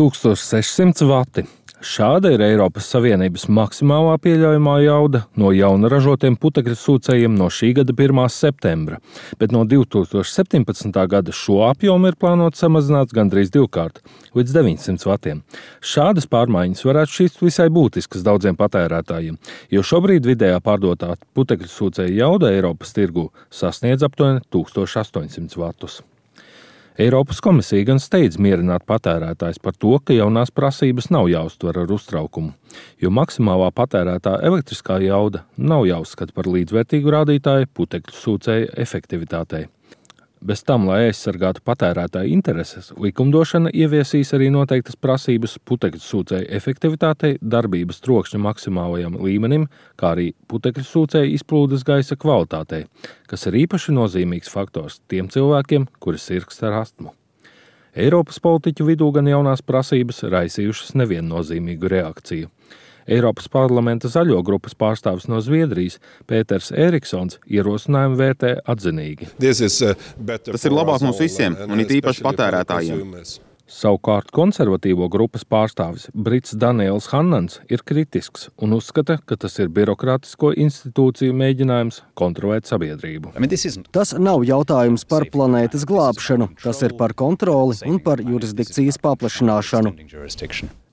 1600 vati. Šāda ir Eiropas Savienības maksimālā pieļaujamā jauda no jauna ražotiem putekļu sūcējiem no šī gada 1. septembra, bet no 2017. gada šo apjomu ir plānots samazināt gandrīz divkārt, līdz 900 vatiem. Šādas pārmaiņas varētu šķist visai būtiskas daudziem patērētājiem, jo šobrīd vidējā pārdotā putekļu sūcēja jauda Eiropas tirgū sasniedz aptuveni 1800 vatus. Eiropas komisija gan steidz mierināt patērētājs par to, ka jaunās prasības nav jāuztver ar uztraukumu, jo maksimālā patērētā elektriskā jauda nav jāuzskata par līdzvērtīgu rādītāju putekļu sūcēja efektivitātei. Bez tam, lai aizsargātu patērētāju intereses, likumdošana ieviesīs arī noteiktas prasības putekļu sūcēju efektivitātei, darbības trokšņa maksimālajam līmenim, kā arī putekļu sūcēju izplūdes gaisa kvalitātei, kas ir īpaši nozīmīgs faktors tiem cilvēkiem, kuri sirgst ar astmu. Eiropas politiķu vidū gan jaunās prasības raisījušas neviennozīmīgu reakciju. Eiropas parlamenta zaļo grupas pārstāvis no Zviedrijas Pēters Eriksons ierosinājumu vērtē atzinīgi. Tas ir labāk mums visiem, un it īpaši patērētājiem. Savukārt konservatīvo grupas pārstāvis Brits Daniels Hannans ir kritisks un uzskata, ka tas ir birokrātisko institūciju mēģinājums kontrolēt sabiedrību. Tas nav jautājums par planētas glābšanu, tas ir par kontroli un par jurisdikcijas paplašināšanu.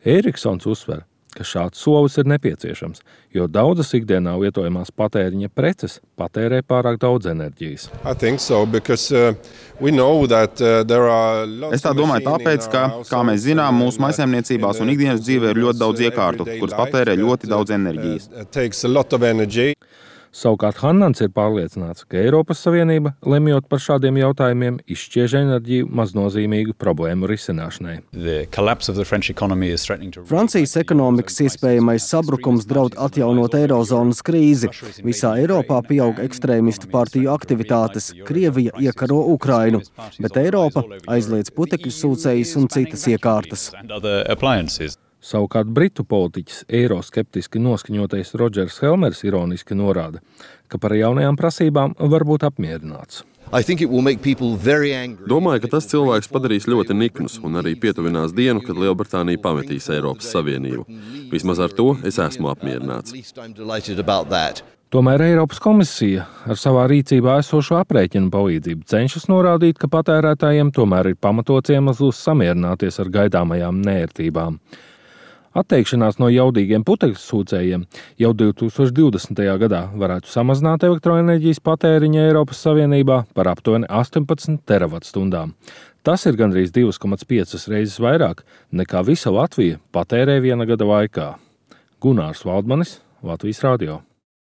Eriksons uzsver, ka šāds solis ir nepieciešams, jo daudzas ikdienā lietojamās patēriņa preces patērē pārāk daudz enerģijas. Es tā domāju tāpēc, ka, kā mēs zinām, mūsu mājsaimniecībās un ikdienas dzīvē ir ļoti daudz iekārtu, kuras patērē ļoti daudz enerģijas. Savukārt Hannans ir pārliecināts, ka Eiropas Savienība, lemjot par šādiem jautājumiem, izšķiež enerģiju maznozīmīgu problēmu risināšanai. Francijas ekonomikas iespējamais sabrukums draud atjaunot eirozonas krīzi. Visā Eiropā pieaug ekstrēmistu partiju aktivitātes. Krievija iekaro Ukrainu, bet Eiropa aizliedz putekļu sūcējus un citas iekārtas. Savukārt britu politiķis eiroskeptiski noskaņotais Rodžers Helmers ironiski norāda, ka par jaunajām prasībām var būt apmierināts. Domāju, ka tas cilvēks padarīs ļoti niknus un arī pietuvinās dienu, kad Lielbritānija pametīs Eiropas Savienību. Vismaz ar to es esmu apmierināts. Tomēr Eiropas komisija ar savā rīcībā esošo aprēķinu palīdzību cenšas norādīt, ka patērētājiem tomēr ir pamatots iemesls samierināties ar gaidāmajām neērtībām. Atteikšanās no jaudīgiem putekļu sūcējiem jau 2020. gadā varētu samazināt elektroenerģijas patēriņu Eiropas Savienībā par aptuveni 18 teravatstundām. Tas ir gandrīz 2,5 reizes vairāk nekā visa Latvija patērē viena gada laikā. Gunārs Valdmanis, Latvijas radio.